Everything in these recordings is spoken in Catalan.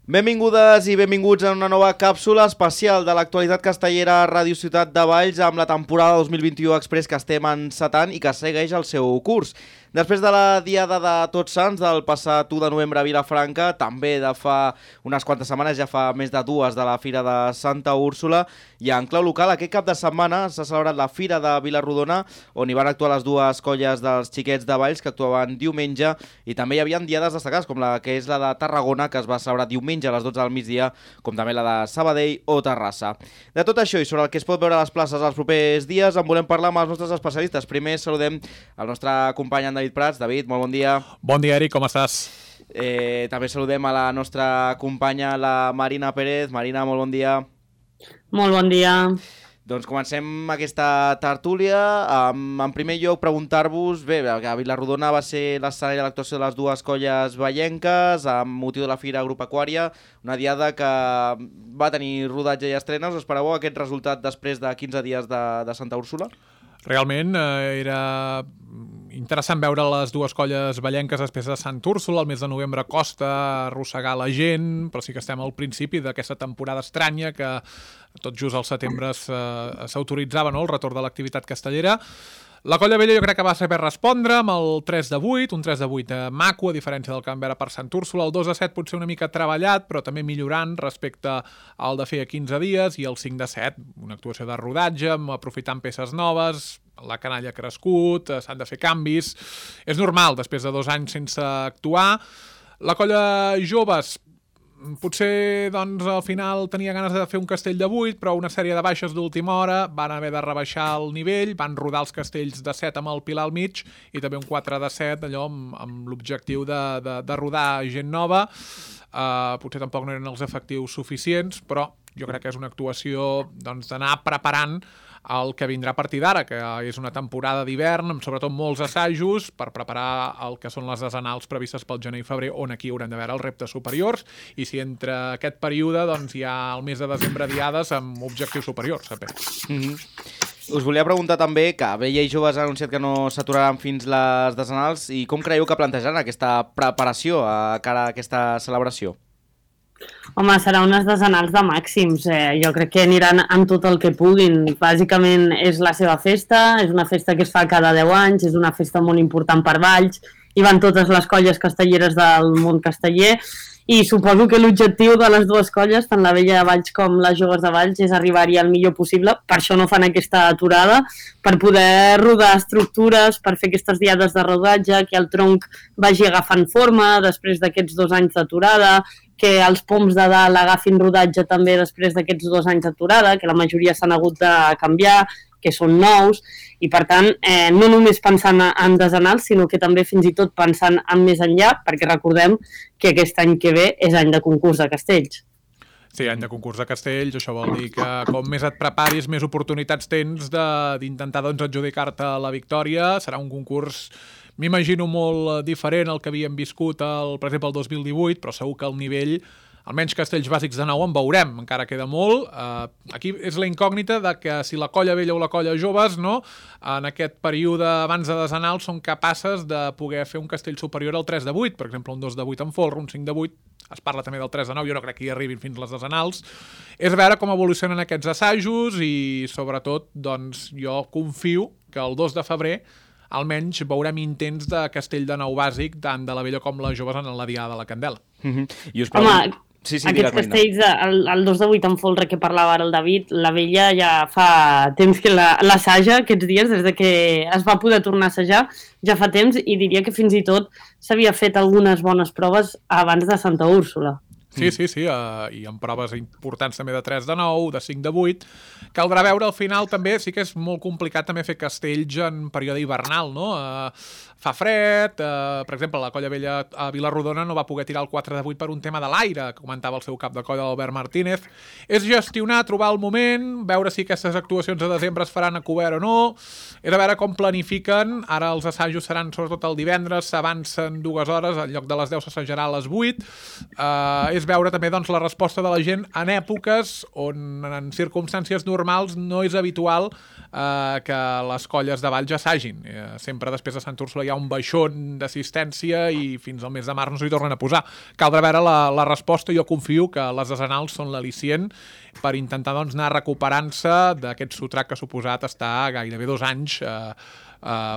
Benvingudes i benvinguts en una nova càpsula especial de l'actualitat castellera a Ràdio Ciutat de Valls amb la temporada 2021 Express que estem encetant i que segueix el seu curs. Després de la Diada de Tots Sants del passat 1 de novembre a Vilafranca, també de fa unes quantes setmanes, ja fa més de dues de la Fira de Santa Úrsula, i en clau local aquest cap de setmana s'ha celebrat la Fira de Vila-rodona, on hi van actuar les dues colles dels xiquets de Valls que actuaven diumenge, i també hi havia diades destacades com la que és la de Tarragona, que es va celebrar diumenge a les 12 del migdia, com també la de Sabadell o Terrassa. De tot això i sobre el que es pot veure a les places els propers dies en volem parlar amb els nostres especialistes. Primer saludem el nostre company en David Prats. David, molt bon dia. Bon dia, Eric, com estàs? També saludem a la nostra companya, la Marina Pérez. Marina, molt bon dia. Molt bon dia. Doncs comencem aquesta tertúlia. En primer lloc, preguntar-vos, bé, que Vila-rodona va ser l'escenari de l'actuació de les dues colles vallenques amb motiu de la Fira Agropecuària, una diada que va tenir rodatge i estrenes. Us esperàveu aquest resultat després de 15 dies de Santa Úrsula? Realment era interessant veure les dues colles vallenques després de Sant Úrsula. El mes de novembre costa arrossegar la gent, però sí que estem al principi d'aquesta temporada estranya que tot just al setembre s'autoritzava, no?, el retorn de l'activitat castellera. La colla vella jo crec que va saber respondre amb el 3 de 8, un 3 de 8 maco, a diferència del que vam veure per Sant Úrsula. El 2 de 7 potser una mica treballat, però també millorant respecte al de feia 15 dies, i el 5 de 7, una actuació de rodatge, aprofitant peces noves, la canalla ha crescut, s'han de fer canvis. És normal, després de 2 anys sense actuar. La colla joves potser doncs, al final tenia ganes de fer un castell de 8, però una sèrie de baixes d'última hora van haver de rebaixar el nivell, van rodar els castells de 7 amb el pilar al mig i també un 4 de 7, allò amb l'objectiu de rodar gent nova. Potser tampoc no eren els efectius suficients, però jo crec que és una actuació d'anar preparant el que vindrà a partir d'ara, que és una temporada d'hivern, amb sobretot molts assajos per preparar el que són les desenals previstes pel gener i febrer, on aquí haurem de veure els reptes superiors, i si entre aquest període doncs, hi ha el mes de desembre diades amb objectius superiors, sempre. Us volia preguntar també que Vella i Joves han anunciat que no s'aturaran fins les desenals, i com creieu que plantejaran aquesta preparació a cara a aquesta celebració? Home, serà unes desenals de màxims. Jo crec que aniran amb tot el que puguin. Bàsicament és la seva festa, és una festa que es fa cada 10 anys, és una festa molt important per Valls, i van totes les colles castelleres del món casteller, i suposo que l'objectiu de les dues colles, tant la Vella de Valls com les Joves de Valls, és arribar-hi el millor possible. Per això no fan aquesta aturada, per poder rodar estructures, per fer aquestes diades de rodatge, que el tronc vagi agafant forma després d'aquests 2 anys d'aturada, que els poms de dalt agafin rodatge també després d'aquests 2 anys d'aturada, que la majoria s'han hagut de canviar, que són nous, i per tant no només pensant en desenals, sinó que també fins i tot pensant en més enllà, perquè recordem que aquest any que ve és any de concurs de castells. Sí, any de concurs de castells, això vol dir que com més et preparis, més oportunitats tens d'intentar adjudicar-te la victòria. Serà un concurs, m'imagino, molt diferent al que havíem viscut, per exemple, el 2018, però segur que el nivell, almenys castells bàsics de nou, en veurem, encara queda molt. Aquí és la incògnita de que si la colla vella o la colla joves, no, en aquest període abans de desenals són capaces de poder fer un castell superior al 3 de 8, per exemple, un 2 de 8 en folre, un 5 de 8, es parla també del 3 de 9, jo no crec que hi arribin fins les desenals. És veure com evolucionen aquests assajos i, sobretot, doncs, jo confio que el 2 de febrer almenys veurem intents de castell de nou bàsic tant de la vella com les joves en la Diada de la Candela. I us pregunto... Sí, aquests castells, el 2 de 8 en folre que parlava ara el David, la Vella ja fa temps que l'assaja aquests dies, des de que es va poder tornar a assajar, ja fa temps, i diria que fins i tot s'havia fet algunes bones proves abans de Santa Úrsula. Sí, i amb proves importants també de 3 de 9, de 5 de 8. Caldrà veure al final també, sí que és molt complicat també fer castells en període hivernal, no? Fa fred, per exemple, la colla vella a Vila-rodona no va poder tirar el 4 de 8 per un tema de l'aire, comentava el seu cap de colla, Albert Martínez. És gestionar, trobar el moment, veure si aquestes actuacions de desembre es faran a cobert o no, és a veure com planifiquen. Ara els assajos seran sobretot el divendres, s'avancen 2 hores, en lloc de les 10 s'assajarà a les 8. És veure també doncs, la resposta de la gent en èpoques on en circumstàncies normals no és habitual que les colles de Valls assagin. Sempre després de Sant Úrsula hi ha ha un baixón d'assistència i fins al mes de març no s'hi tornen a posar. Caldrà veure la resposta. Jo confio que les desenals són l'al·licient per intentar doncs, anar recuperant-se d'aquest sotrac que ha suposat estar gairebé 2 anys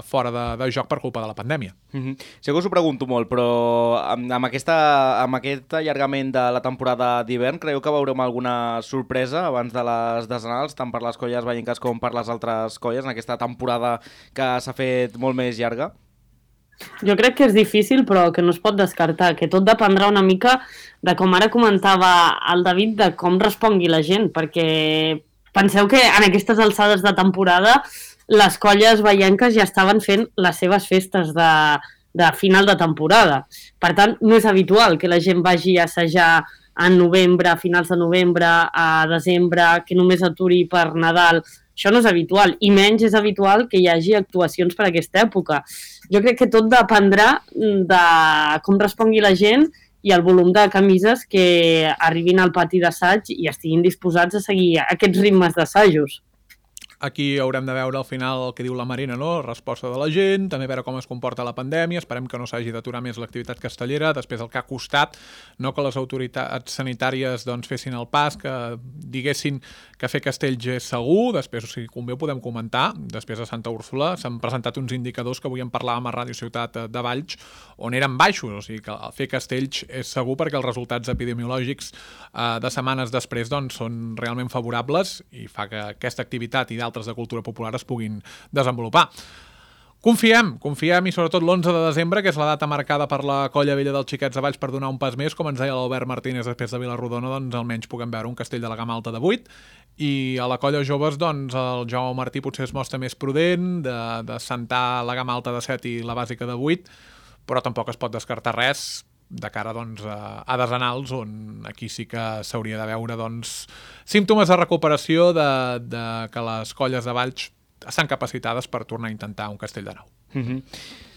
fora de joc per culpa de la pandèmia. Sí que us ho pregunto molt, però amb aquest allargament de la temporada d'hivern, creieu que veurem alguna sorpresa abans de les desenals, tant per les colles vallenques com per les altres colles, en aquesta temporada que s'ha fet molt més llarga? Jo crec que és difícil, però que no es pot descartar, que tot dependrà una mica de, com ara comentava el David, de com respongui la gent, perquè penseu que en aquestes alçades de temporada les colles vallenques ja estaven fent les seves festes de final de temporada. Per tant, no és habitual que la gent vagi a assajar en novembre, a finals de novembre, a desembre, que només aturi per Nadal. Això no és habitual, i menys és habitual que hi hagi actuacions per aquesta època. Jo crec que tot dependrà de com respongui la gent i el volum de camises que arribin al pati d'assaig i estiguin disposats a seguir aquests ritmes d'assajos. Aquí haurem de veure al final el que diu la Marina, no? Resposta de la gent, també veure com es comporta la pandèmia, esperem que no s'hagi d'aturar més l'activitat castellera, després el que ha costat, no que les autoritats sanitàries doncs, fessin el pas, que diguessin que fer castells és segur, després, si convé, ho podem comentar, després a Santa Úrsula s'han presentat uns indicadors que avui en parlàvem a Ràdio Ciutat de Valls, on eren baixos, o sigui que fer castells és segur perquè els resultats epidemiològics de setmanes després doncs, són realment favorables i fa que aquesta activitat i d'altres de cultura popular es puguin desenvolupar. Confiem i sobretot l'11 de desembre, que és la data marcada per la Colla Vella dels Xiquets de Valls per donar un pas més, com ens deia l'Albert Martínez després de Vilarrodona, doncs almenys puguem veure un castell de la gamma alta de 8 i a la Colla Joves doncs el Jaume Martí potser es mostra més prudent de sentar la gamma alta de 7 i la bàsica de 8, però tampoc es pot descartar res de cara doncs, a desenals, on aquí sí que s'hauria de veure doncs, símptomes de recuperació de que les colles de Valls estan capacitades per tornar a intentar un castell de nou.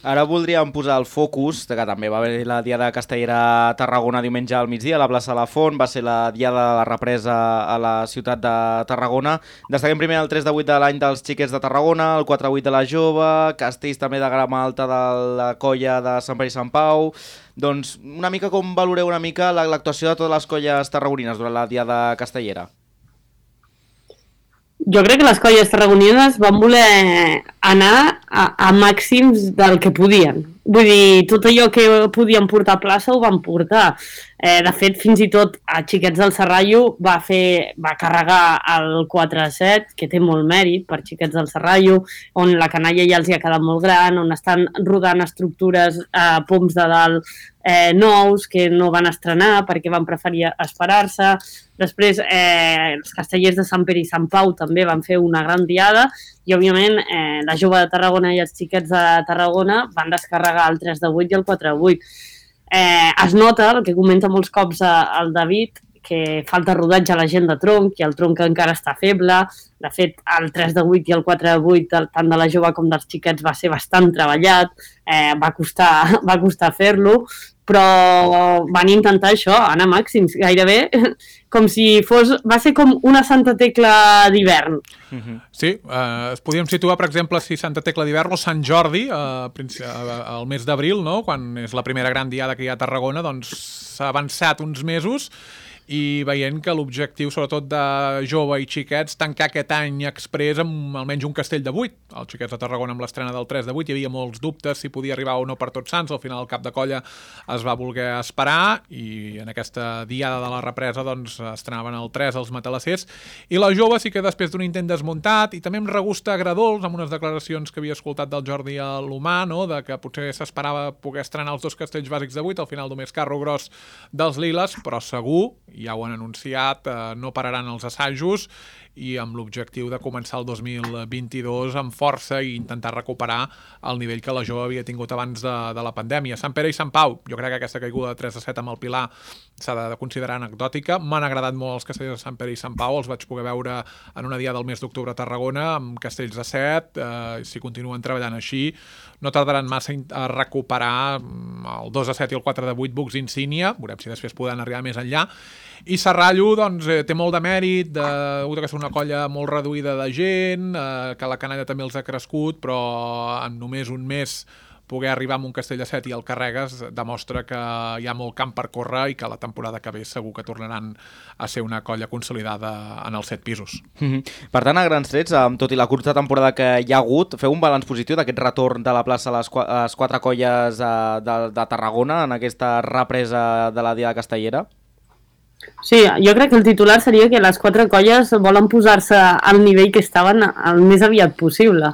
Ara voldríem posar el focus, que també va haver la Diada Castellera a Tarragona diumenge al migdia, a la plaça de la Font, va ser la Diada de la represa a la ciutat de Tarragona. Destaquem primer el 3 de 8 de l'any dels Xiquets de Tarragona, el 4 de 8 de la Jove, castells també de gamma alta de la colla de Sant Pere i Sant Pau. Doncs una mica com valoreu una mica l'actuació de totes les colles tarragonines durant la Diada Castellera? Jo crec que les colles tarragonines van voler anar a màxims del que podien. Vull dir, tot allò que podien portar a plaça ho van portar. De fet, fins i tot a Xiquets del Serrallo va carregar el 4-7, que té molt mèrit per Xiquets del Serrallo, on la canalla ja els hi ha quedat molt gran, on estan rodant estructures a poms de dalt nous que no van estrenar perquè van preferir esperar-se. Després, els castellers de Sant Pere i Sant Pau també van fer una gran diada i, òbviament, la Jove de Tarragona i els Xiquets de Tarragona van descarregar el 3 de 8 i el 4 de 8. Es nota, el que comenta molts cops el David, que falta rodatge a la gent de tronc i el tronc encara està feble. De fet, el 3 de 8 i el 4 de 8, tant de la Jove com dels Xiquets, va ser bastant treballat, va costar fer-lo, però van intentar això, anar a màxims, gairebé com si fos... Va ser com una Santa Tecla d'hivern. Sí, podríem situar, per exemple, si Santa Tecla d'hivern o Sant Jordi, al mes d'abril, no? Quan és la primera gran diada que hi ha a Tarragona, doncs s'ha avançat uns mesos i veient que l'objectiu, sobretot de Jove i Xiquets, tancar aquest any exprés amb almenys un castell de 8. Els Xiquets de Tarragona amb l'estrena del 3 de 8 hi havia molts dubtes si podia arribar o no per Tots Sants. Al final el cap de colla es va voler esperar i en aquesta diada de la represa doncs estrenaven el 3 els matalassers. I la Jove sí que després d'un intent desmuntat i també amb regust agradols, amb unes declaracions que havia escoltat del Jordi a l'Humà, no? De que potser s'esperava poder estrenar els 2 castells bàsics de 8, al final només carro gros dels Liles, però segur, ja ho han anunciat, no pararan els assajos i amb l'objectiu de començar el 2022 amb força i intentar recuperar el nivell que la Jove havia tingut abans de la pandèmia. Sant Pere i Sant Pau, jo crec que aquesta caiguda de 3-7 amb el Pilar s'ha de considerar anecdòtica. M'han agradat molt els castells de Sant Pere i Sant Pau, els vaig poder veure en una dia del mes d'octubre a Tarragona amb castells de 7, si continuen treballant així no tardaran massa a recuperar el 2-7 i el 4-8 Bucs Insígnia, veurem si després poden arribar més enllà. I Serrallo doncs, té molt de mèrit, que és una colla molt reduïda de gent, que la canalla també els ha crescut, però en només un mes poder arribar a un castell de 7 i el carregues demostra que hi ha molt camp per córrer i que la temporada que ve segur que tornaran a ser una colla consolidada en els 7 pisos. Per tant, a grans trets, tot i la curta temporada que hi ha hagut, feu un balanç positiu d'aquest retorn de la plaça a les 4 colles de Tarragona en aquesta represa de la Diada Castellera? Sí, jo crec que el titular seria que les 4 colles volen posar-se al nivell que estaven el més aviat possible.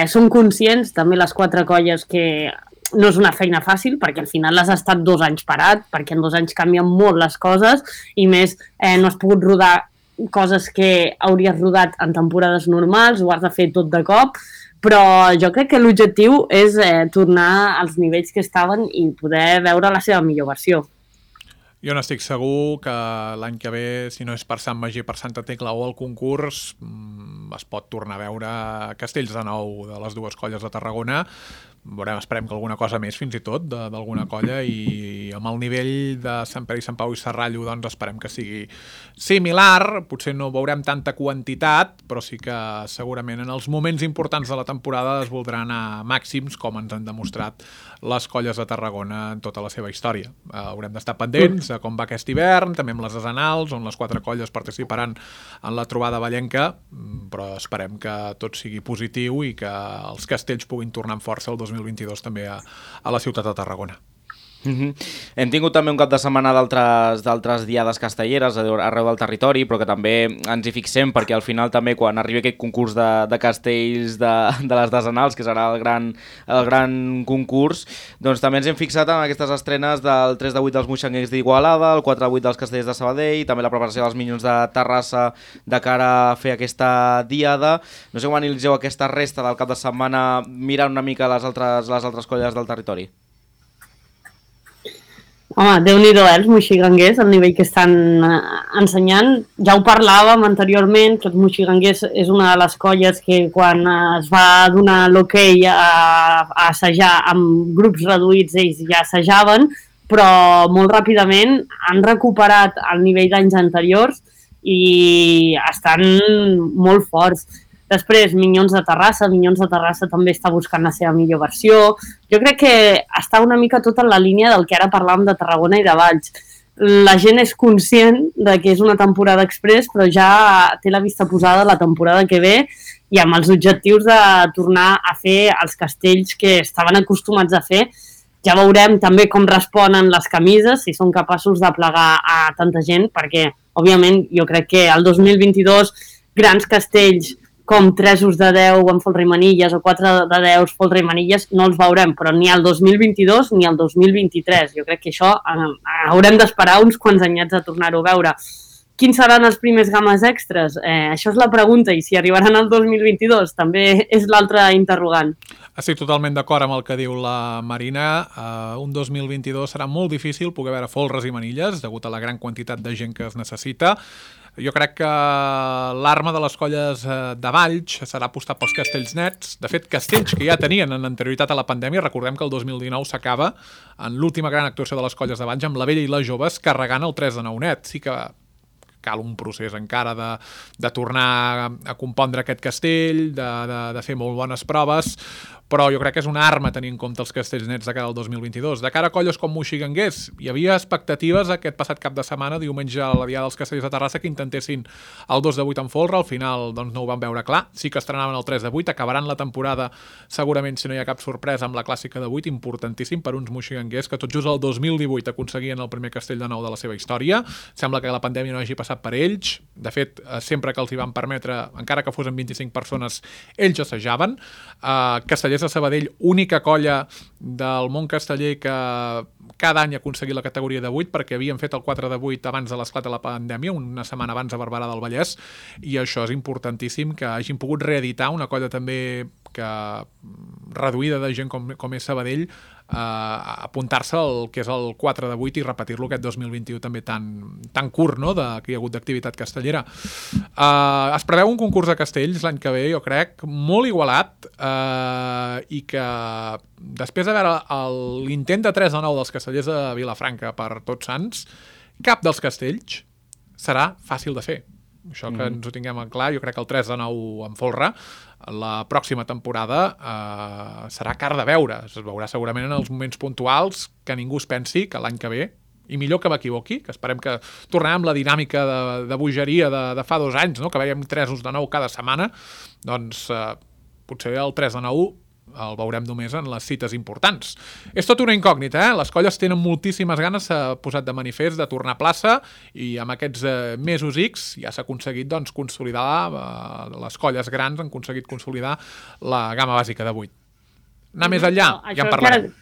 Som conscients, també les 4 colles, que no és una feina fàcil, perquè al final has estat 2 anys parat, perquè en 2 anys canvien molt les coses, i més no has pogut rodar coses que hauries rodat en temporades normals, ho has de fer tot de cop, però jo crec que l'objectiu és tornar als nivells que estaven i poder veure la seva millor versió. Jo n'estic segur que l'any que ve, si no és per Sant Magí, per Santa Tecla o el concurs, es pot tornar a veure castells de nou de les 2 colles de Tarragona. Esperem que alguna cosa més, fins i tot, d'alguna colla, i amb el nivell de Sant Pere i Sant Pau i Serrallo, doncs esperem que sigui similar. Potser no veurem tanta quantitat, però sí que segurament en els moments importants de la temporada es voldrà anar màxims, com ens han demostrat les colles de Tarragona en tota la seva història. Haurem d'estar pendents de com va aquest hivern, també amb les desenals, on les 4 colles participaran en la trobada vallenca, però esperem que tot sigui positiu i que els castells puguin tornar amb força el 2022 també a la ciutat de Tarragona. Hem tingut també un cap de setmana d'altres diades castelleres arreu del territori, però que també ens hi fixem perquè al final també quan arribi aquest concurs de castells de les desenals, que serà el gran concurs, doncs també ens hem fixat en aquestes estrenes del 3 de 8 dels Moixanguers d'Igualada, el 4 de 8 dels Castellers de Sabadell, també la preparació dels Minyons de Terrassa de cara a fer aquesta diada. No sé com analitzeu aquesta resta del cap de setmana mirant una mica les altres colles del territori. Home, Déu-n'hi-do, els moixiganguers, el nivell que estan ensenyant. Ja ho parlàvem anteriorment, que els moixiganguers és una de les colles que quan es va donar l'hoquei a assajar amb grups reduïts, ells ja assajaven, però molt ràpidament han recuperat el nivell d'anys anteriors i estan molt forts. Després, Minyons de Terrassa també està buscant la seva millor versió. Jo crec que està una mica tot en la línia del que ara parlàvem de Tarragona i de Valls. La gent és conscient de que és una temporada express, però ja té la vista posada la temporada que ve i amb els objectius de tornar a fer els castells que estaven acostumats a fer. Ja veurem també com responen les camises, si són capaços de plegar a tanta gent, perquè, òbviament, jo crec que el 2022 grans castells com 3 de 10 en Folre i Manilles o 4 de 10 Folre i Manilles no els veurem, però ni el 2022 ni el 2023. Jo crec que això haurem d'esperar uns quants anyats a tornar-ho a veure. Quins seran els primers games extras? Això és la pregunta, i si arribaran al 2022 també és l'altre interrogant. Estic totalment d'acord amb el que diu la Marina. Un 2022 serà molt difícil poder veure folres i manilles, degut a la gran quantitat de gent que es necessita. Jo crec que l'arma de les colles de Valls serà apostar pels castells nets. De fet, castells que ja tenien en anterioritat a la pandèmia. Recordem que el 2019 s'acaba en l'última gran actuació de les colles de Valls amb la Vella i les Joves carregant el 3 de 9 net. Sí que cal un procés encara de tornar a compondre aquest castell, de fer molt bones proves, però jo crec que és una arma tenir en compte els castells nets de cara al 2022. De cara a colles com Moixiganguers, hi havia expectatives aquest passat cap de setmana, diumenge a la Diada dels Castells de Terrassa, que intentessin el 2 de 8 en folre, al final doncs, no ho van veure clar, sí que estrenaven el 3 de 8, acabaran la temporada segurament, si no hi ha cap sorpresa, amb la clàssica de 8, importantíssim per uns moixiganguers que tot just el 2018 aconseguien el primer castell de nou de la seva història. Sembla que la pandèmia no hagi passat per ells, de fet, sempre que els hi van permetre, encara que fossin 25 persones, ells assajaven. Castellers de Sabadell, única colla del món casteller que cada any aconseguir la categoria de 8, perquè havien fet el 4 de 8 abans de l'esclat de la pandèmia, una setmana abans a Barberà del Vallès, i això és importantíssim, que hagin pogut reeditar una colla també que reduïda de gent com és Sabadell, apuntar-se al que és el 4 de 8 i repetir-lo aquest 2021 també tan curt, no?, que hi ha hagut d'activitat castellera. Es preveu un concurs de castells l'any que ve, jo crec, molt igualat, i que després de veure l'intent de 3 de 9 dels castellers de Vilafranca per Tots Sants, cap dels castells serà fàcil de fer. Això que ens ho tinguem en clar, jo crec que el 3 de 9 en folre la pròxima temporada serà car de veure. Es veurà segurament en els moments puntuals, que ningú es pensi que l'any que ve, i millor que m'equivoqui, que esperem que tornem amb la dinàmica de bogeria de fa 2 anys, no? Que veiem 3 de 9 cada setmana, doncs potser el 3 de 9 el veurem només en les cites importants. És tot una incògnita, Les colles tenen moltíssimes ganes, s'ha posat de manifest, de tornar a plaça, i amb aquests mesos X ja s'ha aconseguit consolidar, les colles grans han aconseguit consolidar la gamma bàsica de 8. Anar més enllà, ja en parlarem.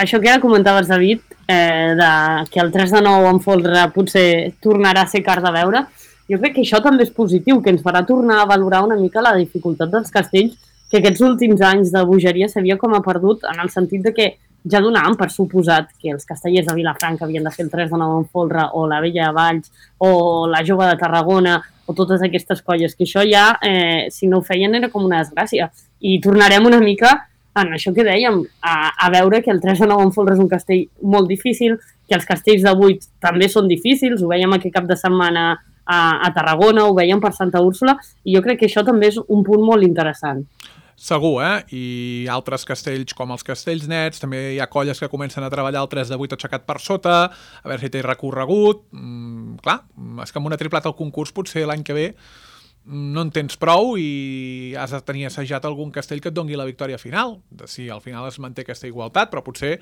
Això que ara comentaves, David, que el 3 de 9 en folre potser tornarà a ser car de veure, jo crec que això també és positiu, que ens farà tornar a valorar una mica la dificultat dels castells, que aquests últims anys de bogeria s'havia com a perdut, en el sentit de que ja donàvem per suposat que els castellers de Vilafranca havien de fer el 3 de 9 en folre, o la Vella de Valls, o la Jove de Tarragona, o totes aquestes colles, que això ja, si no ho feien, era com una desgràcia. I tornarem una mica en això que dèiem, a veure que el 3 de 9 en folre és un castell molt difícil, que els castells de 8 també són difícils, ho veiem aquest cap de setmana a Tarragona, ho veiem per Santa Úrsula, i jo crec que això també és un punt molt interessant. Segur, I altres castells com els castells nets, també hi ha colles que comencen a treballar el 3 de 8 aixecat per sota, a veure si té recorregut. Clar, és que amb una triplata al concurs potser l'any que ve no en tens prou i has de tenir assajat algun castell que et dongui la victòria final. Si al final es manté aquesta igualtat, però potser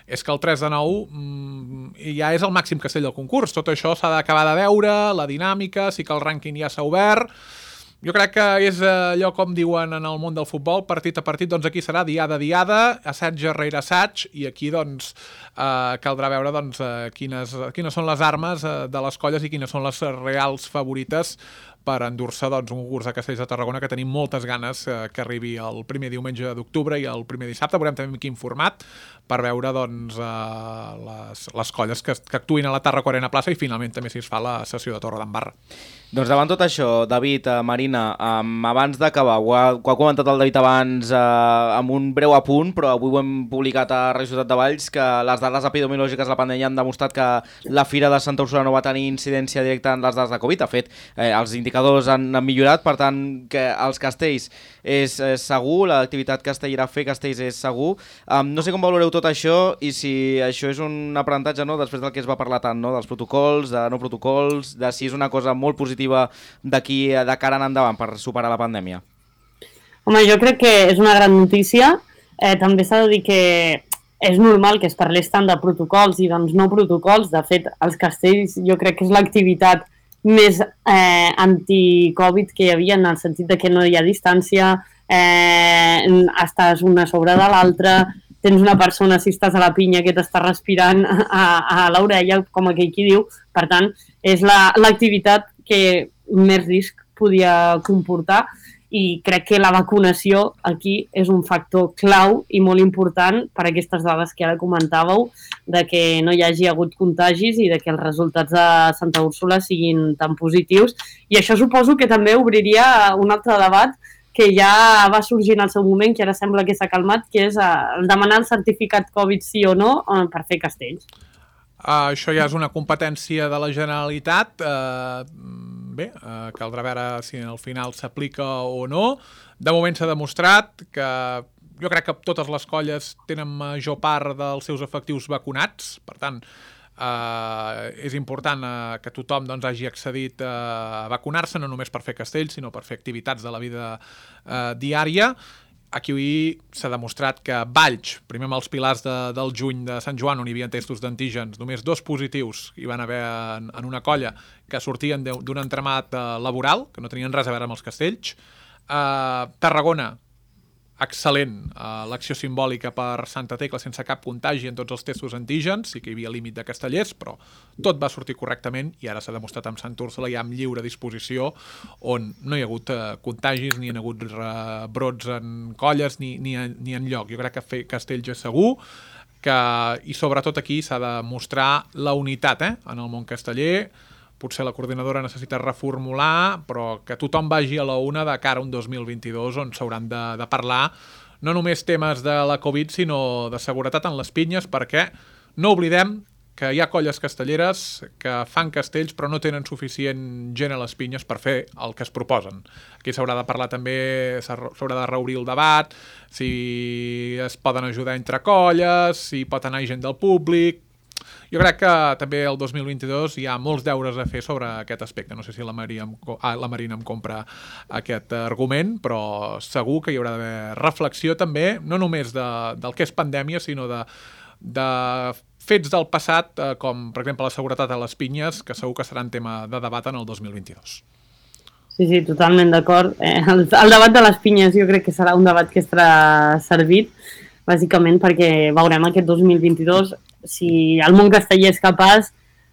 és que el 3 de 9 ja és el màxim castell del concurs. Tot això s'ha d'acabar de veure, la dinàmica, sí que el rànquing ja s'ha obert. Jo crec que és allò com diuen en el món del futbol, partit a partit, doncs aquí serà diada a diada, assaig rere assaig, i aquí doncs caldrà veure doncs, quines són les armes de les colles i quines són les reals favorites per endur-se doncs, un concurs de castells de Tarragona que tenim moltes ganes que arribi el primer diumenge d'octubre i el primer dissabte. Veurem també en quin format per veure doncs, les colles que actuïn a la Tarraco Arena Plaça i finalment també si es fa la sessió de Torredembarra. Doncs davant tot això, David, Marina, abans d'acabar, ho ha comentat el David abans amb un breu apunt, però avui ho hem publicat a Radio Ciutat de Valls, que les dades epidemiològiques de la pandèmia han demostrat que la Fira de Santa Úrsula no va tenir incidència directa en les dades de Covid. De fet, els indicadors han millorat, per tant, que els castells és segur, l'activitat castellera fer castells és segur. No sé com valoreu tot això i si això és un aprenentatge, no?, després del que es va parlar tant, no?, dels protocols, de no protocols, de si és una cosa molt positiva d'aquí de cara en endavant per superar la pandèmia. Home, jo crec que és una gran notícia. També s'ha de dir que és normal que es parlés tant de protocols i doncs no protocols. De fet, els castells jo crec que és l'activitat més anti-Covid que hi havia, en el sentit de que no hi ha distància, estàs una sobre de l'altra, tens una persona, si estàs a la pinya, que t'està respirant a l'orella, com aquell qui diu. Per tant, és l'activitat que més risc podia comportar, i crec que la vacunació aquí és un factor clau i molt important per aquestes dades que ara comentàveu, de que no hi hagi hagut contagis i de que els resultats de Santa Úrsula siguin tan positius. I això suposo que també obriria un altre debat que ja va sorgir en el seu moment, que ara sembla que s'ha calmat, que és demanar el certificat Covid sí o no per fer castells. Això ja és una competència de la Generalitat. Bé, caldrà veure si al final s'aplica o no. De moment s'ha demostrat que jo crec que totes les colles tenen major part dels seus efectius vacunats, per tant, és important que tothom doncs, hagi accedit a vacunar-se, no només per fer castells, sinó per fer activitats de la vida diària. Aquí s'ha demostrat que Valls, primer amb els pilars del juny de Sant Joan, on hi havia testos d'antígens, només 2 positius hi van haver en una colla que sortien d'un entramat laboral, que no tenien res a veure amb els castells. Tarragona, excel·lent, l'acció simbòlica per Santa Tecla sense cap contagi en tots els testos antígens, sí que hi havia límit de castellers, però tot va sortir correctament i ara s'ha demostrat amb Sant Úrsula ja amb lliure disposició, on no hi ha hagut contagis, ni hi ha hagut brots en colles ni en lloc. Jo crec que fer castells és segur, i sobretot aquí s'ha de mostrar la unitat en el món casteller. Potser la coordinadora necessita reformular, però que tothom vagi a la una de cara a un 2022 on s'hauran de parlar no només temes de la Covid, sinó de seguretat en les pinyes, perquè no oblidem que hi ha colles castelleres que fan castells però no tenen suficient gent a les pinyes per fer el que es proposen. Aquí s'haurà de parlar també, s'haurà de reobrir el debat, si es poden ajudar entre colles, si pot anar gent del públic. Jo crec que també el 2022 hi ha molts deures a fer sobre aquest aspecte. No sé si la Marina em compra aquest argument, però segur que hi haurà d'haver reflexió també, no només del que és pandèmia, sinó de fets del passat, com per exemple la seguretat a les pinyes, que segur que seran tema de debat en el 2022. Sí, totalment d'acord. El debat de les pinyes jo crec que serà un debat que estarà servit, bàsicament perquè veurem aquest 2022 si el món casteller és capaç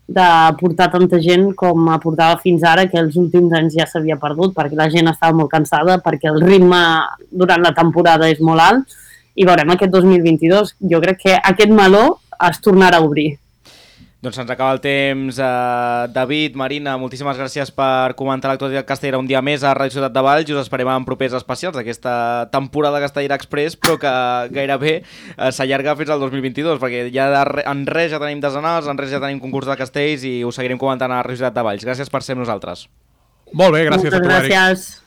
de portar tanta gent com aportava fins ara, que els últims anys ja s'havia perdut, perquè la gent estava molt cansada, perquè el ritme durant la temporada és molt alt, i veurem aquest 2022. Jo crec que aquest meló es tornarà a obrir. Doncs se'ns acaba el temps. David, Marina, moltíssimes gràcies per comentar l'actualitat castellera un dia més a Ràdio Ciutat de Valls i us esperem en propers especials d'aquesta temporada Castellera Express, però que gairebé s'allarga fins al 2022, perquè ja en res ja tenim desenals, en res ja tenim concurs de castells i us seguirem comentant a Ràdio Ciutat de Valls. Gràcies per ser amb nosaltres. Molt bé, gràcies a tu, Eric. Moltes gràcies.